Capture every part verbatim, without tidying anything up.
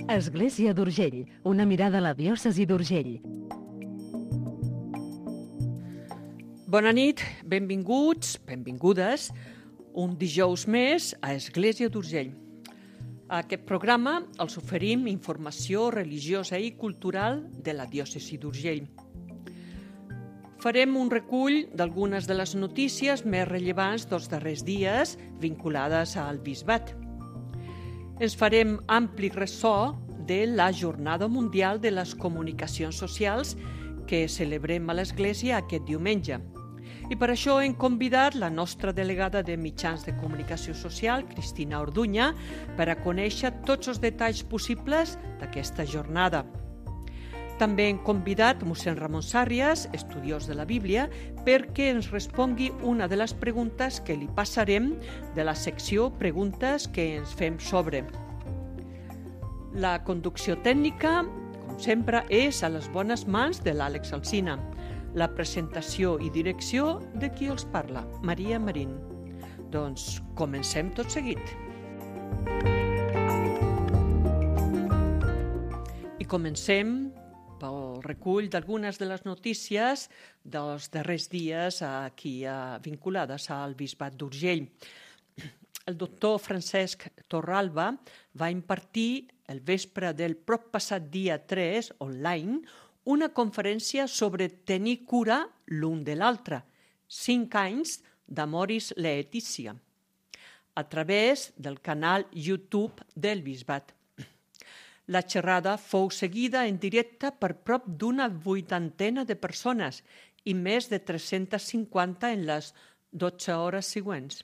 Església d'Urgell, una mirada a la diòcesi d'Urgell. Bona nit, benvinguts, benvingudes, un dijous més a Església d'Urgell. A aquest programa els oferim informació religiosa i cultural de la diòcesi d'Urgell. Farem un recull d'algunes de les notícies més rellevants dels darrers dies vinculades al bisbat. Ens farem ampli ressò de la Jornada Mundial de les Comunicacions Socials que celebrem a l'Església aquest diumenge. I per això hem convidat la nostra delegada de mitjans de comunicació social, Cristina Orduña, per a conèixer tots els detalls possibles d'aquesta jornada. També hem convidat mossèn Ramon Sàrrias, estudiós de la Bíblia, perquè ens respongui una de les preguntes que li passarem de la secció Preguntes que ens fem sobre. La conducció tècnica, com sempre, és a les bones mans de l'Àlex Alsina. La presentació i direcció de qui els parla, Maria Marín. Doncs comencem tot seguit. I comencem pel recull d'algunes de les notícies dels darrers dies aquí vinculades al bisbat d'Urgell. El doctor Francesc Torralba va impartir el vespre del prop passat dia tres, online, una conferència sobre tenir cura l'un de l'altre, cinc anys d'Amoris Laetitia, a través del canal YouTube del bisbat. La xerrada fou seguida en directe per prop d'una vuitantena de persones i més de tres-centes cinquanta en les dotze hores següents.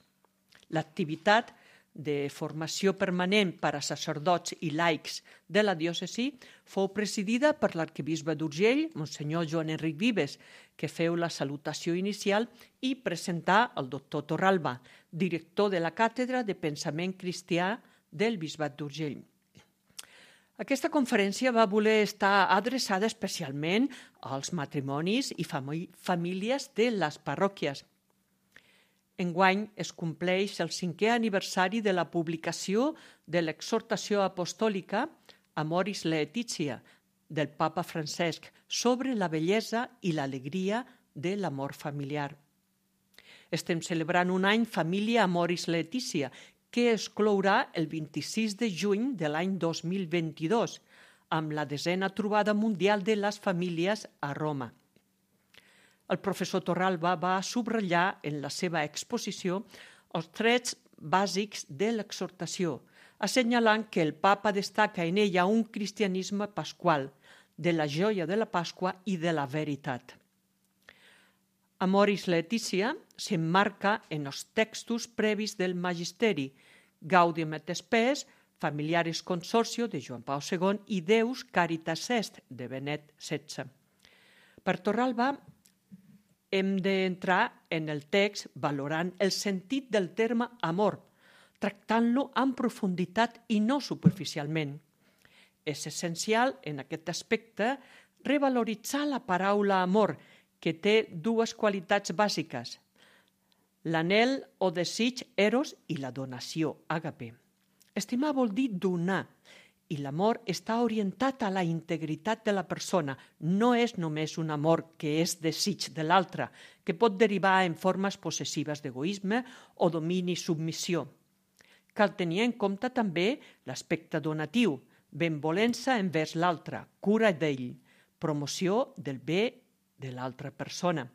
L'activitat de formació permanent per a sacerdots i laics de la diòcesi fou presidida per l'arquebisbe d'Urgell, monsenyor Joan Enric Vives, que feu la salutació inicial i presentà el doctor Torralba, director de la Càtedra de Pensament Cristià del bisbat d'Urgell. Aquesta conferència va voler estar adreçada especialment als matrimonis i famílies de les parròquies. Enguany es compleix el cinquè aniversari de la publicació de l'exhortació apostòlica Amoris Laetitia del papa Francesc sobre la bellesa i l'alegria de l'amor familiar. Estem celebrant un any Família Amoris Laetitia, que es clourà el vint-i-sis de juny de l'any dos mil vint-i-dos, amb la desena trobada mundial de les famílies a Roma. El professor Torralba va subratllar en la seva exposició els trets bàsics de l'exhortació, assenyalant que el papa destaca en ella un cristianisme pasqual, de la joia de la Pasqua i de la veritat. Amoris Laetitia s'emmarca en els textos previs del Magisteri, Gaudium et Spes, Familiaris Consortio de Joan Pau segon i Deus Caritas Est de Benet setze. Per Torralba hem d'entrar en el text valorant el sentit del terme amor, tractant-lo amb profunditat i no superficialment. És essencial, en aquest aspecte, revaloritzar la paraula amor, que té dues qualitats bàsiques, l'anhel o desig eros i la donació, àgape. Estimar vol dir donar, i l'amor està orientat a la integritat de la persona. No és només un amor que és desig de l'altre, que pot derivar en formes possessives d'egoisme o domini i submissió. Cal tenir en compte també l'aspecte donatiu, benvolença envers l'altre, cura d'ell, promoció del bé de l'altra persona.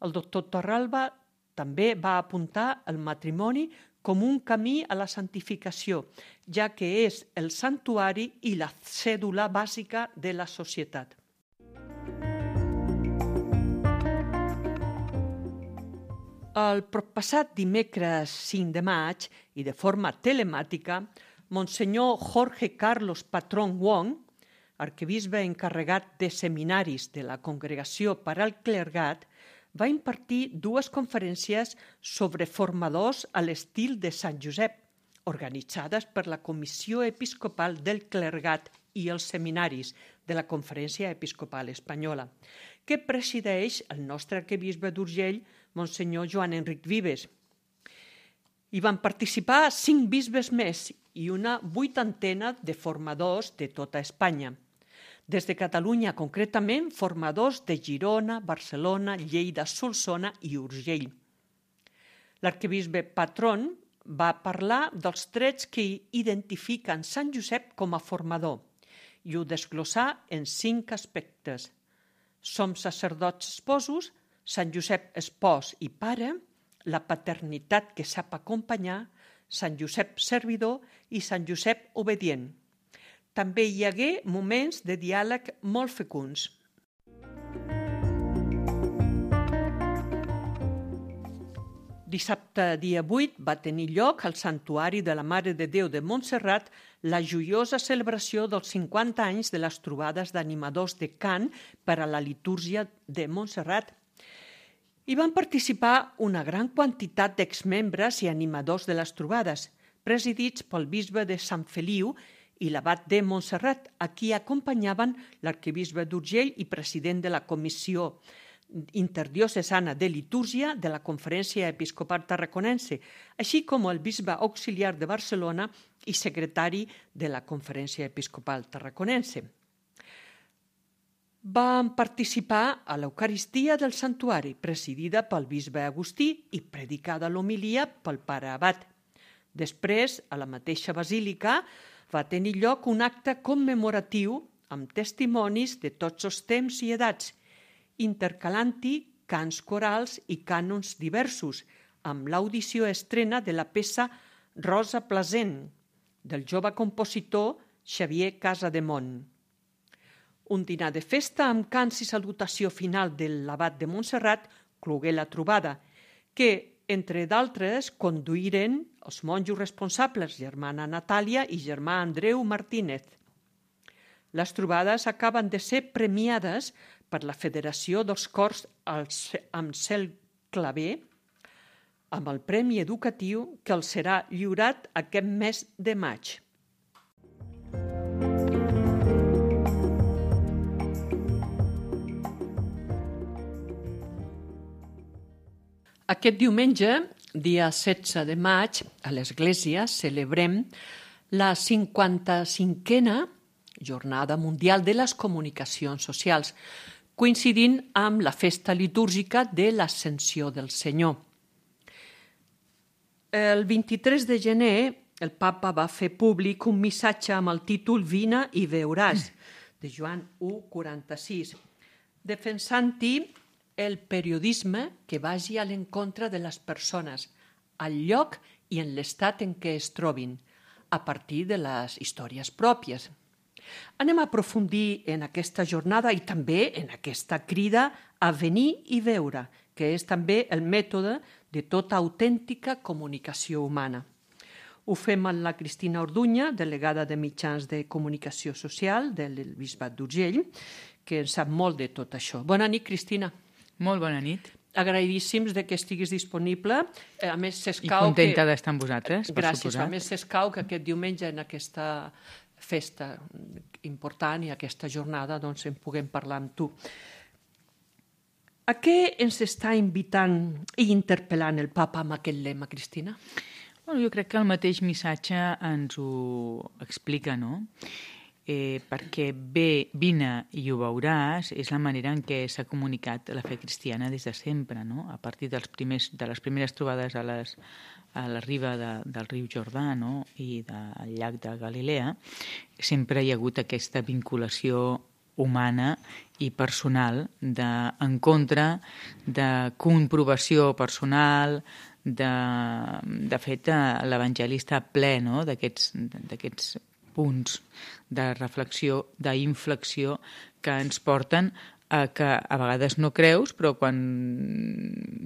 El doctor Torralba també va apuntar el matrimoni com un camí a la santificació, ja que és el santuari i la cèdula bàsica de la societat. El proppassat dimecres cinc de maig i de forma telemàtica, monsenyor Jorge Carlos Patrón Wong, arquebisbe encarregat de seminaris de la Congregació per al Clergat, va impartir dues conferències sobre formadors a l'estil de Sant Josep, organitzades per la Comissió Episcopal del Clergat i els seminaris de la Conferència Episcopal Espanyola, que presideix el nostre arquebisbe d'Urgell, monsenyor Joan Enric Vives. Hi van participar cinc bisbes més i una vuitantena de formadors de tota Espanya. Des de Catalunya, concretament, formadors de Girona, Barcelona, Lleida, Solsona i Urgell. L'arquebisbe Patron va parlar dels trets que identifiquen Sant Josep com a formador i ho desglossà en cinc aspectes. Som sacerdots esposos, Sant Josep espòs i pare, la paternitat que sap acompanyar, Sant Josep servidor i Sant Josep obedient. També hi hagué moments de diàleg molt fecunds. Dissabte, dia vuit, va tenir lloc al Santuari de la Mare de Déu de Montserrat la joiosa celebració dels cinquanta anys de les trobades d'animadors de cant per a la litúrgia de Montserrat. Hi van participar una gran quantitat d'exmembres i animadors de les trobades, presidits pel bisbe de Sant Feliu i l'abat de Montserrat, a qui acompanyaven l'arquebisbe d'Urgell i president de la Comissió Interdiocesana de Litúrgia de la Conferència Episcopal Tarraconense, així com el bisbe auxiliar de Barcelona i secretari de la Conferència Episcopal Tarraconense. Van participar a l'Eucaristia del Santuari, presidida pel bisbe Agustí i predicada l'homilia pel pare abat. Després, a la mateixa basílica, va tenir lloc un acte commemoratiu amb testimonis de tots els temps i edats, intercalant-hi cants corals i cànons diversos, amb l'audició estrena de la peça Rosa Plasent, del jove compositor Xavier Casademont. Un dinar de festa amb cants i salutació final de l'abat de Montserrat clogué la trobada, que, entre d'altres, conduïren els monjos responsables, germana Natàlia i germà Andreu Martínez. Les trobades acaben de ser premiades per la Federació dels Cors amb Cel Claver, amb el Premi Educatiu que els serà lliurat aquest mes de maig. Aquest diumenge, dia setze de maig, a l'Església celebrem la cinquanta-cinquena Jornada Mundial de les Comunicacions Socials, coincidint amb la festa litúrgica de l'Ascensió del Senyor. El vint-i-tres de gener, el papa va fer públic un missatge amb el títol Vine i veuràs, de Joan u quaranta-sis, defensant-hi el periodisme que vagi a l'encontre de les persones, al lloc i en l'estat en què es trobin, a partir de les històries pròpies. Anem a aprofundir en aquesta jornada i també en aquesta crida a venir i veure, que és també el mètode de tota autèntica comunicació humana. Ho fem amb la Cristina Orduña, delegada de Mitjans de Comunicació Social del Bisbat d'Urgell, que en sap molt de tot això. Bona nit, Cristina. Molt bona nit. Agraïdíssims de que estiguis disponible. A més, s'escau I contenta que... d'estar amb vosaltres, per Gràcies. suposat. A més, s'escau que aquest diumenge en aquesta festa important i aquesta jornada doncs en puguem parlar amb tu. A què ens està invitant i interpel·lant el papa amb aquest lema, Cristina? Bueno, jo crec que el mateix missatge ens ho explica, no? Eh, perquè bé, vine i ho veuràs és la manera en què s'ha comunicat la fe cristiana des de sempre, no? A partir dels primers, de les primeres trobades a, les, a la riba de, del riu Jordà, no? I del llac de Galilea, sempre hi ha hagut aquesta vinculació humana i personal d'encontre, de comprovació personal, de, de fet l'Evangeli està ple, no? d'aquests, d'aquests punts de reflexió, d'inflexió que ens porten a que a vegades no creus, però quan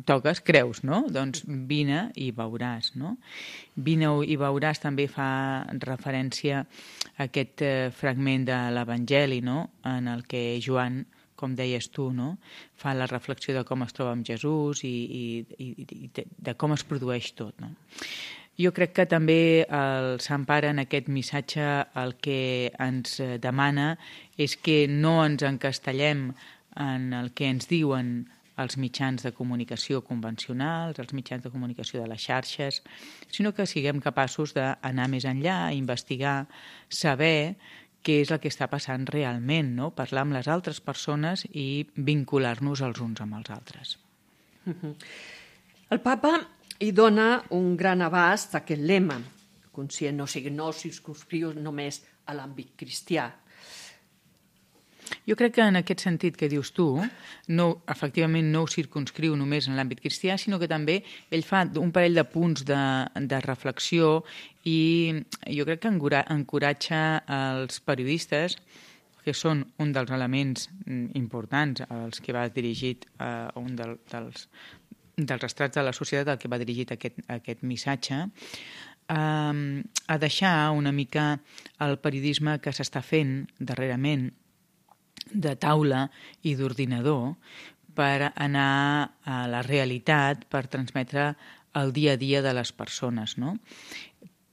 toques creus, no? Doncs vine i veuràs, no? Vine i veuràs també fa referència a aquest eh, fragment de l'Evangeli, no? En el que Joan, com deies tu, no? Fa la reflexió de com es troba amb Jesús i, i, i, i de, de com es produeix tot, no? Jo crec que també el Sant Pare en aquest missatge el que ens demana és que no ens encastellem en el que ens diuen els mitjans de comunicació convencionals, els mitjans de comunicació de les xarxes, sinó que siguem capaços d'anar més enllà, investigar, saber què és el que està passant realment, no? Parlar amb les altres persones i vincular-nos els uns amb els altres. El papa hi dona un gran abast a aquest lema, conscient, o sigui, no circumscriu només a l'àmbit cristià. Jo crec que en aquest sentit que dius tu, no, efectivament no ho circumscriu només en l'àmbit cristià, sinó que també ell fa un parell de punts de, de reflexió i jo crec que encoratja els periodistes, que són un dels elements importants als que va dirigit a uh, un del, dels, dels estrats de la societat al que va dirigit aquest, aquest missatge, uh, a deixar una mica el periodisme que s'està fent darrerament de taula i d'ordinador per anar a la realitat, per transmetre el dia a dia de les persones, no?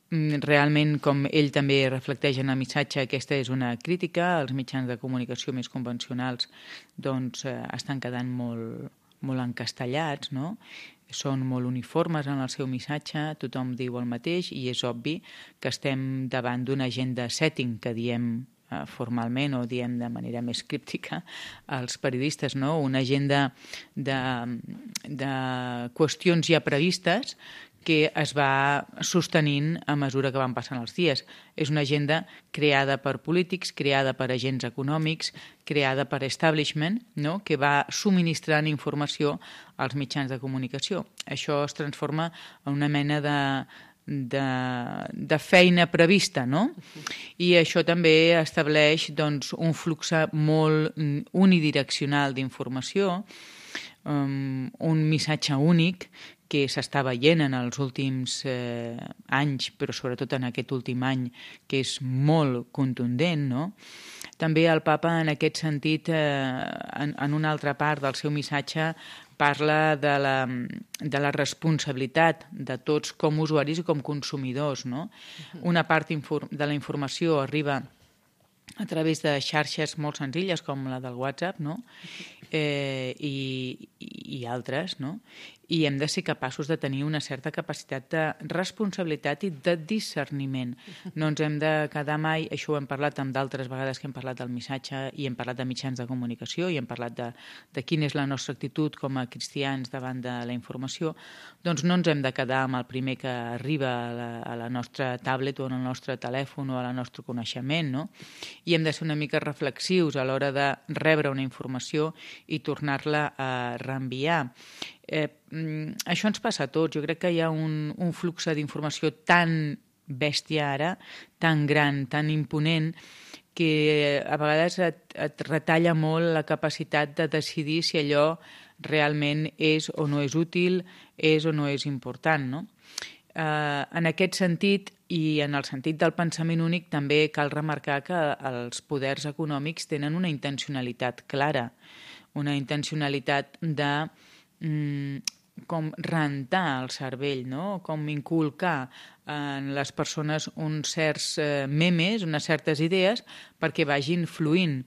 Realment, com ell també reflecteix en el missatge, aquesta és una crítica. Els mitjans de comunicació més convencionals doncs, eh, estan quedant molt, molt encastellats, no? Són molt uniformes en el seu missatge, tothom diu el mateix i és obvi que estem davant d'una agenda setting que diem formalment o diem de manera més críptica als periodistes, no? Una agenda de, de qüestions ja previstes que es va sostenint a mesura que van passant els dies. És una agenda creada per polítics, creada per agents econòmics, creada per establishment, no? Que va subministrant informació als mitjans de comunicació. Això es transforma en una mena de De, de feina prevista, no? I això també estableix doncs, un flux molt unidireccional d'informació, um, un missatge únic que s'està veient en els últims eh, anys, però sobretot en aquest últim any, que és molt contundent, no? També el papa, en aquest sentit, eh, en, en una altra part del seu missatge, parla de la, de la responsabilitat de tots com usuaris i com consumidors, no? Una part de la informació arriba a través de xarxes molt senzilles com la del WhatsApp, no? eh, i, i altres, no? I hem de ser capaços de tenir una certa capacitat de responsabilitat i de discerniment. No ens hem de quedar mai, això ho hem parlat amb d'altres vegades que hem parlat del missatge i hem parlat de mitjans de comunicació i hem parlat de, de quina és la nostra actitud com a cristians davant de la informació, doncs no ens hem de quedar amb el primer que arriba a la, a la nostra tablet o al nostre telèfon o a la nostre coneixement, no? I hem de ser una mica reflexius a l'hora de rebre una informació i tornar-la a reenviar. Eh, això ens passa a tots. Jo crec que hi ha un, un flux d'informació tan bèstia ara, tan gran, tan imponent, que a vegades et, et retalla molt la capacitat de decidir si allò realment és o no és útil, és o no és important, no? Eh, en aquest sentit, i en el sentit del pensament únic, també cal remarcar que els poders econòmics tenen una intencionalitat clara, una intencionalitat de com rentar el cervell, no? Com inculcar en les persones uns certs eh, memes, unes certes idees, perquè vagin fluint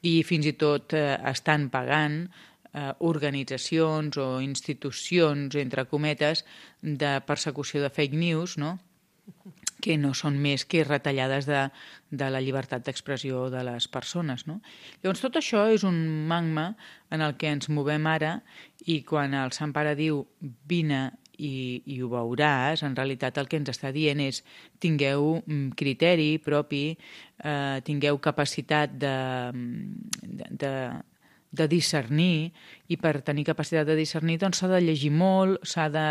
i fins i tot eh, estan pagant eh, organitzacions o institucions, entre cometes, de persecució de fake news, no? Que no són més que retallades de, de la llibertat d'expressió de les persones, no? Llavors, tot això és un magma en el que ens movem ara i quan el Sant Pare diu vine i, i ho veuràs, en realitat el que ens està dient és tingueu criteri propi, eh, tingueu capacitat de, de, de, de discernir i per tenir capacitat de discernir doncs s'ha de llegir molt, s'ha de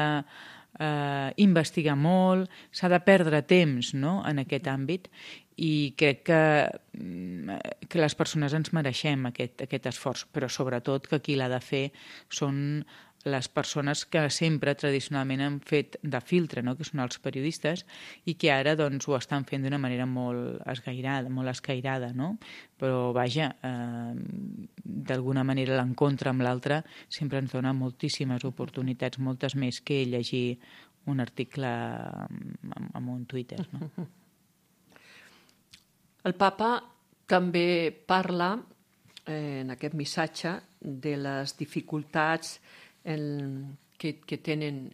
Uh, investigar molt, s'ha de perdre temps, no?, en aquest àmbit i crec que, que les persones ens mereixem aquest, aquest esforç, però sobretot que qui l'ha de fer són les persones que sempre tradicionalment han fet de filtre, no?, que són els periodistes i que ara doncs, ho estan fent d'una manera molt esgairada, molt escairada, no? Però vaja, eh, d'alguna manera l'encontre amb l'altre sempre ens dona moltíssimes oportunitats, moltes més que llegir un article en un Twitter, no? El papa també parla eh, en aquest missatge de les dificultats en, que, que tenen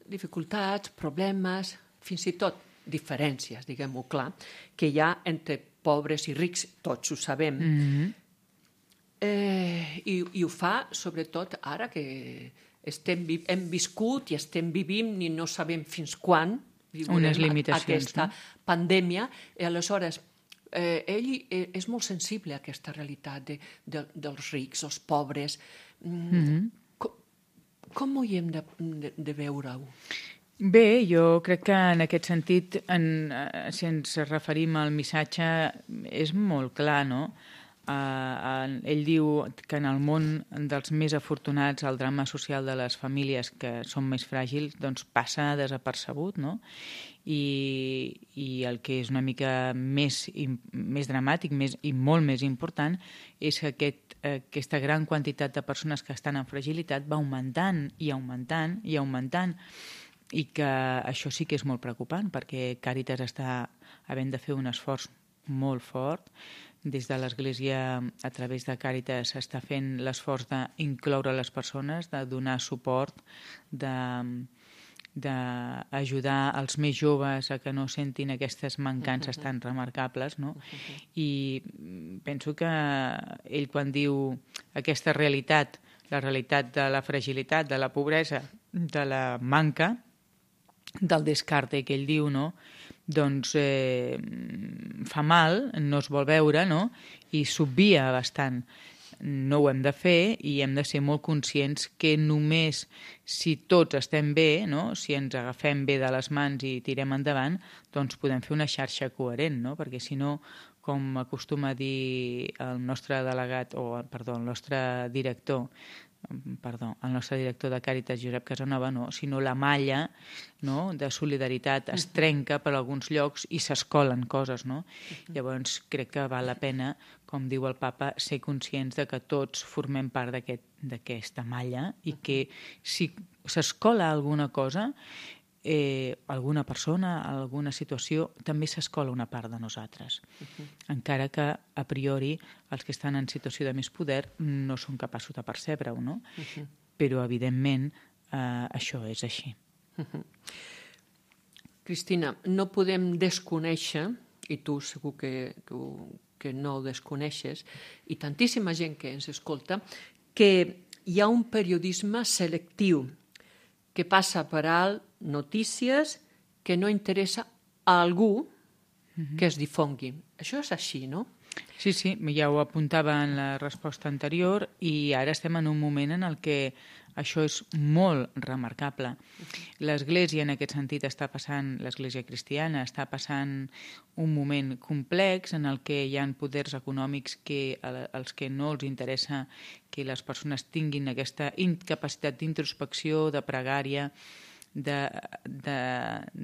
dificultats, problemes, fins i tot diferències, diguem-ho clar, que hi ha entre pobres i rics, tots ho sabem. Mm-hmm. eh, i, I ho fa, sobretot, ara que estem, hem viscut i estem vivint i no sabem fins quan unes limitacions, aquesta no? pandèmia, i aleshores eh, ell és molt sensible a aquesta realitat de, de, dels rics, els pobres. Mm-hmm. Com, com ho hi hem de, de, de veure-ho? Bé, jo crec que en aquest sentit, en, si ens referim al missatge, és molt clar, no? Uh, ell diu que en el món dels més afortunats el drama social de les famílies que són més fràgils doncs passa desapercebut, no? I, i el que és una mica més, més dramàtic més, i molt més important és que aquest, aquesta gran quantitat de persones que estan en fragilitat va augmentant i augmentant i augmentant, i que això sí que és molt preocupant perquè Càritas està havent de fer un esforç molt fort. Des de l'Església, a través de Càritas, s'està fent l'esforç d'incloure les persones, de donar suport, d'ajudar els més joves a que no sentin aquestes mancances tan remarcables, no? I penso que ell, quan diu aquesta realitat, la realitat de la fragilitat, de la pobresa, de la manca, del descarte que ell diu, no? Doncs eh, fa mal, no es vol veure, no? I s'obvia bastant. No ho hem de fer i hem de ser molt conscients que només si tots estem bé, no? Si ens agafem bé de les mans i tirem endavant, doncs podem fer una xarxa coherent, no? Perquè si no, com acostuma a dir el nostre delegat, o perdó, el nostre director, perdó, el nostre director de Càritas, Josep Casanova, no, sinó la malla, no, de solidaritat es trenca per alguns llocs i s'escolen coses, no? Llavors crec que val la pena, com diu el papa, ser conscients de que tots formem part d'aquesta malla i que si s'escola alguna cosa, eh, alguna persona, alguna situació, també s'escola una part de nosaltres. Uh-huh. Encara que, a priori, els que estan en situació de més poder no són capaços de percebre-ho, no? Uh-huh. Però, evidentment, eh, això és així. Uh-huh. Cristina, no podem desconèixer, i tu segur que, que, ho, que no ho desconeixes, i tantíssima gent que ens escolta, que hi ha un periodisme selectiu que passa per alt notícies que no interessa a algú uh-huh. que es difongui. Això és així, no? Sí, sí, ja ho apuntava en la resposta anterior i ara estem en un moment en el que això és molt remarcable. L'Església, en aquest sentit, està passant, l'Església cristiana, està passant un moment complex en el que hi ha poders econòmics que als que no els interessa que les persones tinguin aquesta incapacitat d'introspecció, de pregària,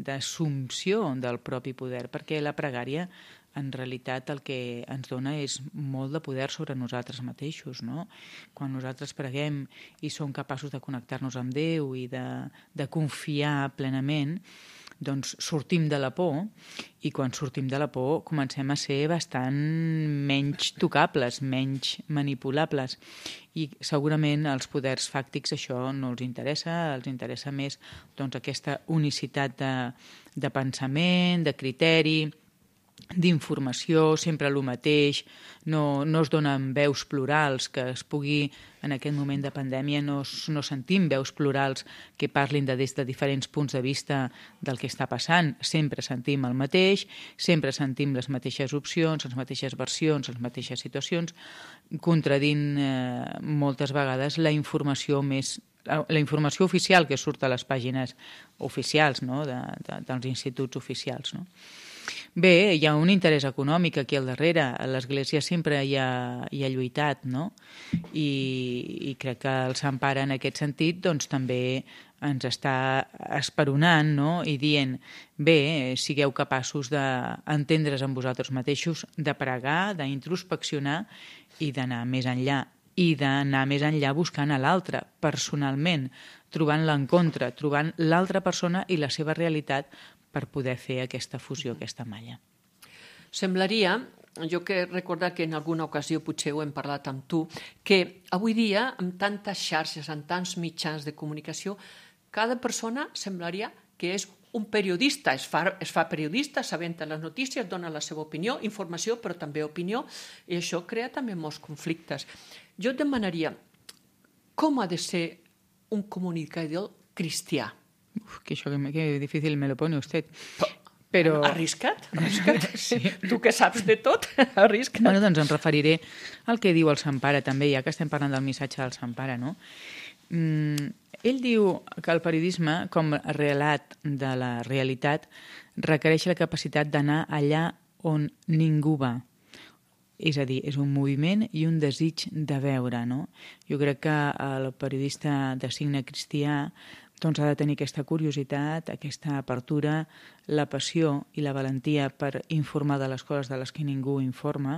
d'assumpció de, de, del propi poder, perquè la pregària en realitat el que ens dona és molt de poder sobre nosaltres mateixos, no? Quan nosaltres preguem i som capaços de connectar-nos amb Déu i de, de confiar plenament, doncs sortim de la por i quan sortim de la por comencem a ser bastant menys tocables, menys manipulables i segurament als poders fàctics això no els interessa, els interessa més doncs, aquesta unicitat de, de pensament, de criteri, d'informació, sempre el mateix, no, no es donen veus plurals, que es pugui, en aquest moment de pandèmia, no, no sentim veus plurals que parlin de, des de diferents punts de vista del que està passant. Sempre sentim el mateix, sempre sentim les mateixes opcions, les mateixes versions, les mateixes situacions, contradint eh, moltes vegades la informació més la informació oficial que surt a les pàgines oficials, no? de, de, dels instituts oficials, no? Bé, hi ha un interès econòmic aquí al darrere. L'Església sempre hi ha, hi ha lluitat, no? I, i crec que el Sant Pare en aquest sentit doncs, també ens està esperonant, no? I dient, bé, sigueu capaços d'entendre's amb vosaltres mateixos, de pregar, d'introspeccionar i d'anar més enllà. I d'anar més enllà buscant a l'altre, personalment, trobant l'encontre, trobant l'altra persona i la seva realitat per poder fer aquesta fusió, aquesta malla. Semblaria jo que recordar que en alguna ocasió potser ho hem parlat amb tu, que avui dia, amb tantes xarxes, amb tants mitjans de comunicació, cada persona semblaria que és un periodista, es fa, es fa periodista, s'aventa les notícies, dona la seva opinió, informació, però també opinió, i això crea també molts conflictes. Jo et demanaria, com ha de ser un comunicador cristià? Uf, que això que, que difícil me lo pone usted. Però... Arriscat? Arriscat? Sí. Tu que saps de tot, arriscat. Bueno, doncs em referiré al que diu el Sant Pare també, ja que estem parlant del missatge del Sant Pare, no? Mm, ell diu que el periodisme, com a relat de la realitat, requereix la capacitat d'anar allà on ningú va. És a dir, és un moviment i un desig de veure, no? Jo crec que el periodista de signe cristià doncs ha de tenir aquesta curiositat, aquesta apertura, la passió i la valentia per informar de les coses de les que ningú informa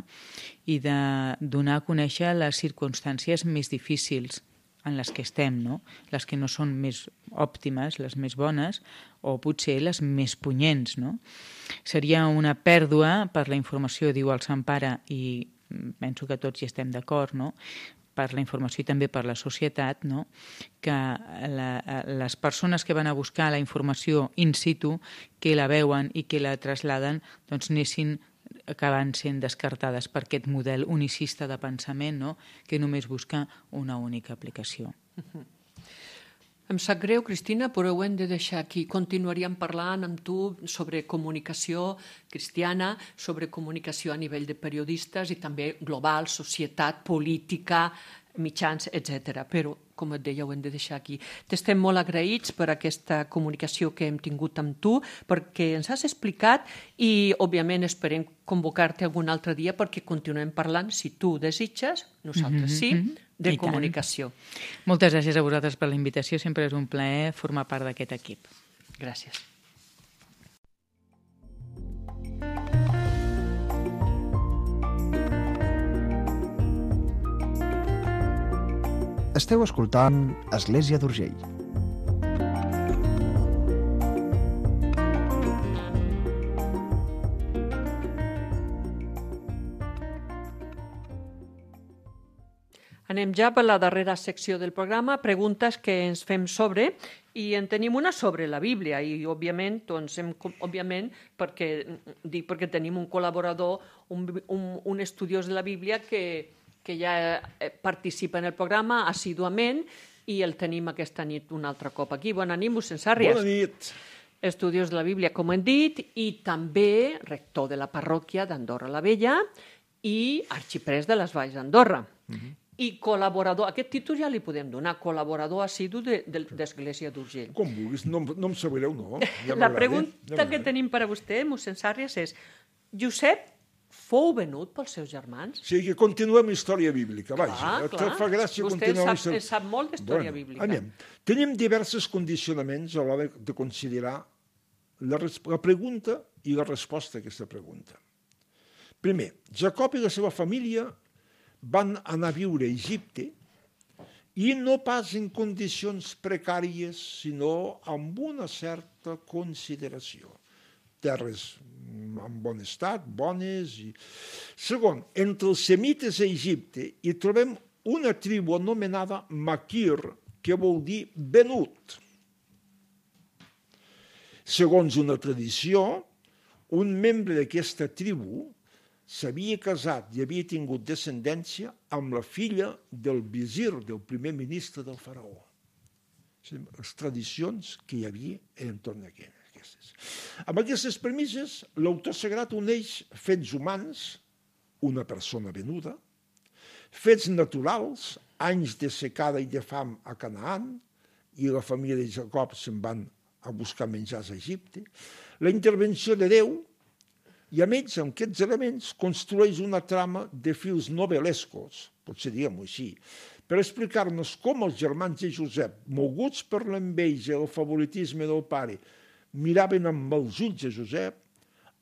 i de donar a conèixer les circumstàncies més difícils en les que estem, no? Les que no són més òptimes, les més bones, o potser les més punyents, no? Seria una pèrdua per la informació, diu el Sant Pare, i penso que tots hi estem d'acord, no? Per la informació i també per la societat, no? Que la, les persones que van a buscar la informació in situ, que la veuen i que la trasladen, doncs anessin acabant sent descartades per aquest model unicista de pensament, no? Que només busca una única aplicació. Uh-huh. Em sap greu, Cristina, però ho hem de deixar aquí. Continuaríem parlant amb tu sobre comunicació cristiana, sobre comunicació a nivell de periodistes i també global, societat, política, mitjans, etcètera. Però, com et deia, ho hem de deixar aquí. T'estem molt agraïts per aquesta comunicació que hem tingut amb tu, perquè ens has explicat i, òbviament, esperem convocar-te algun altre dia perquè continuem parlant, si tu desitges, nosaltres sí, de comunicació. Moltes gràcies a vosaltres per la invitació. Sempre és un plaer formar part d'aquest equip. Gràcies. Esteu escoltant Església d'Urgell. Anem ja per la darrera secció del programa, preguntes que ens fem sobre, i en tenim una sobre la Bíblia, i òbviament, doncs, hem, òbviament perquè, dic perquè tenim un col·laborador, un, un, un estudiós de la Bíblia que, que ja participa en el programa assiduament, i el tenim aquesta nit un altre cop aquí. Bona nit, mossèn Sàrries. Bona nit. Estudiós de la Bíblia, com hem dit, i també rector de la parròquia d'Andorra la Vella i arxiprès de les Valls d'Andorra. Uh-huh. I col·laborador, aquest títol ja li podem donar, col·laborador assidu de, de, d'Església d'Urgell. Com vulguis, no, no em sabreu, no? Ja la pregunta ja que tenim per a vostè, mossèn Sàrries, és: Josep fou venut pels seus germans? Sí, que continuem història bíblica, vaja. Clar, clar. Fa gràcia vostè continuar sap, història... sap molt d'història bueno, bíblica. Anem. Tenim diversos condicionaments a l'hora de considerar la, la pregunta i la resposta a aquesta pregunta. Primer, Jacob i la seva família van anar a viure a Egipte i no pas en condicions precàries, sinó amb una certa consideració. Terres en bon estat, bones. I... Segon, entre els semites a Egipte hi trobem una tribu anomenada Maquir, que vol dir venut. Segons una tradició, un membre d'aquesta tribu s'havia casat i havia tingut descendència amb la filla del visir, del primer ministre del faraó. Les tradicions que hi havia entorn d'aquestes. Amb aquestes premisses, l'autor sagrat uneix fets humans, una persona venuda, fets naturals, anys de secada i de fam a Canaan, i la família de Jacob se'n van a buscar menjars a Egipte, la intervenció de Déu, i a més, amb aquests elements, construeix una trama de fils novel·lescos, potser diguem-ho així, per explicar-nos com els germans de Josep, moguts per l'enveja i el favoritisme del pare, miraven amb els ulls a Josep,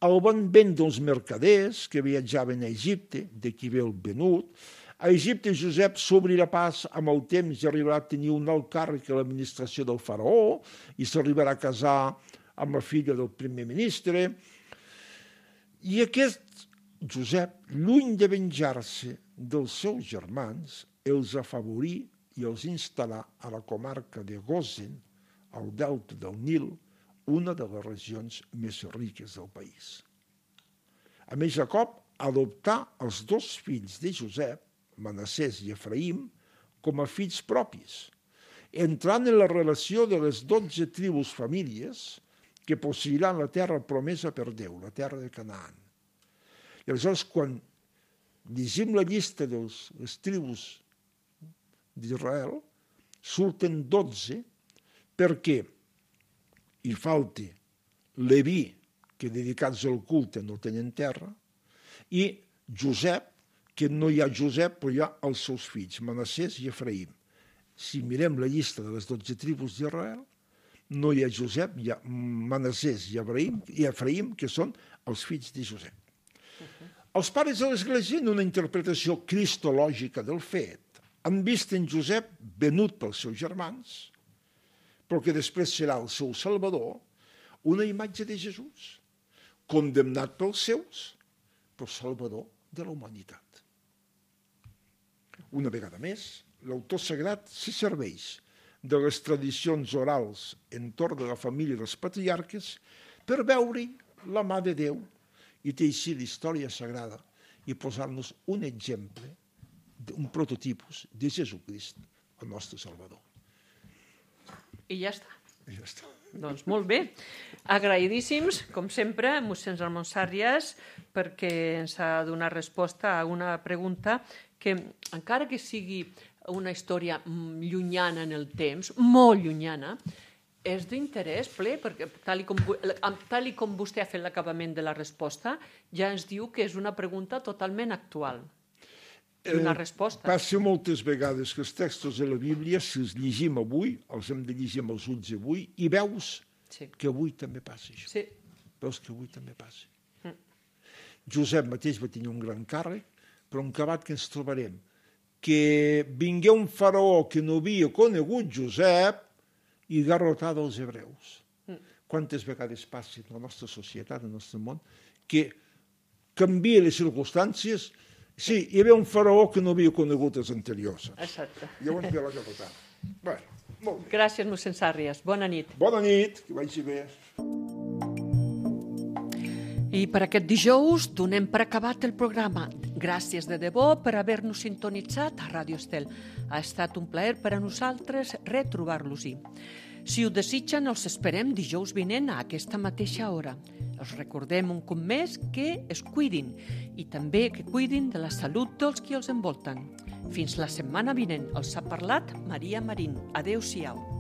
el van vendre els mercaders que viatjaven a Egipte, d'aquí ve el venut. A Egipte Josep s'obrirà pas amb el temps i arribarà a tenir un alt càrrec a l'administració del faraó i s'arribarà a casar amb la filla del primer ministre. I aquest Josep, lluny de venjar-se dels seus germans, els afavorí i els instal·là a la comarca de Gosen, al delta del Nil, una de les regions més riques del país. A més, Jacob adoptà els dos fills de Josep, Manassès i Efraïm, com a fills propis, entrant en la relació de les dotze tribus famílies que posseiran la terra promesa per Déu, la terra de Canaan. I aleshores, quan llegim la llista de les tribus d'Israel, surten dotze perquè hi falti Leví, que dedicats al culte no tenen terra, i Josep, que no hi ha Josep, però hi ha els seus fills, Manassès i Efraïm. Si mirem la llista de les dotze tribus d'Israel, no hi ha Josep, hi ha Manassès i Efraïm, i Efraïm, que són els fills de Josep. Uh-huh. Els pares de l'Església, en una interpretació cristològica del fet, han vist en Josep venut pels seus germans, però que després serà el seu salvador, una imatge de Jesús, condemnat pels seus, però salvador de la humanitat. Una vegada més, l'autor sagrat se serveix de les tradicions orals entorn de la família dels patriarques per veure la mà de Déu i teixir l'història sagrada i posar-nos un exemple, un prototipus de Jesucrist, el nostre Salvador. I ja està. I ja està. Doncs molt bé. Agraïdíssims, com sempre, mossèn Ramon Sàrries, perquè ens ha donat resposta a una pregunta que, encara que sigui una història llunyana en el temps, molt llunyana, és d'interès ple, perquè tal i, com, tal i com vostè ha fet l'acabament de la resposta, ja ens diu que és una pregunta totalment actual. Una resposta. Eh, passa moltes vegades que els textos de la Bíblia, si els llegim avui, els hem de llegir amb els ulls avui, i veus sí. que avui també passa això. Sí. Veus que avui també passa. Mm. Josep mateix va tenir un gran càrrec, però un acabat que ens trobarem, que vingué un faraó que no havia conegut Josep i garrotà dels hebreus. Mm. Quantes vegades passa en la nostra societat, en el nostre món, que canvia les circumstàncies. Sí, hi havia un faraó que no havia conegut els anteriors. Exacte. Llavors ve la garrotada. Bueno, molt bé. Gràcies, mossèn Sàrries. Bona nit. Bona nit, que vagi bé. I per aquest dijous donem per acabat el programa. Gràcies de debò per haver-nos sintonitzat a Ràdio Estel. Ha estat un plaer per a nosaltres retrobar-los-hi. Si ho desitgen, els esperem dijous vinent a aquesta mateixa hora. Els recordem un cop més que es cuidin i també que cuidin de la salut dels qui els envolten. Fins la setmana vinent. Els ha parlat Maria Marín. Adéu-siau.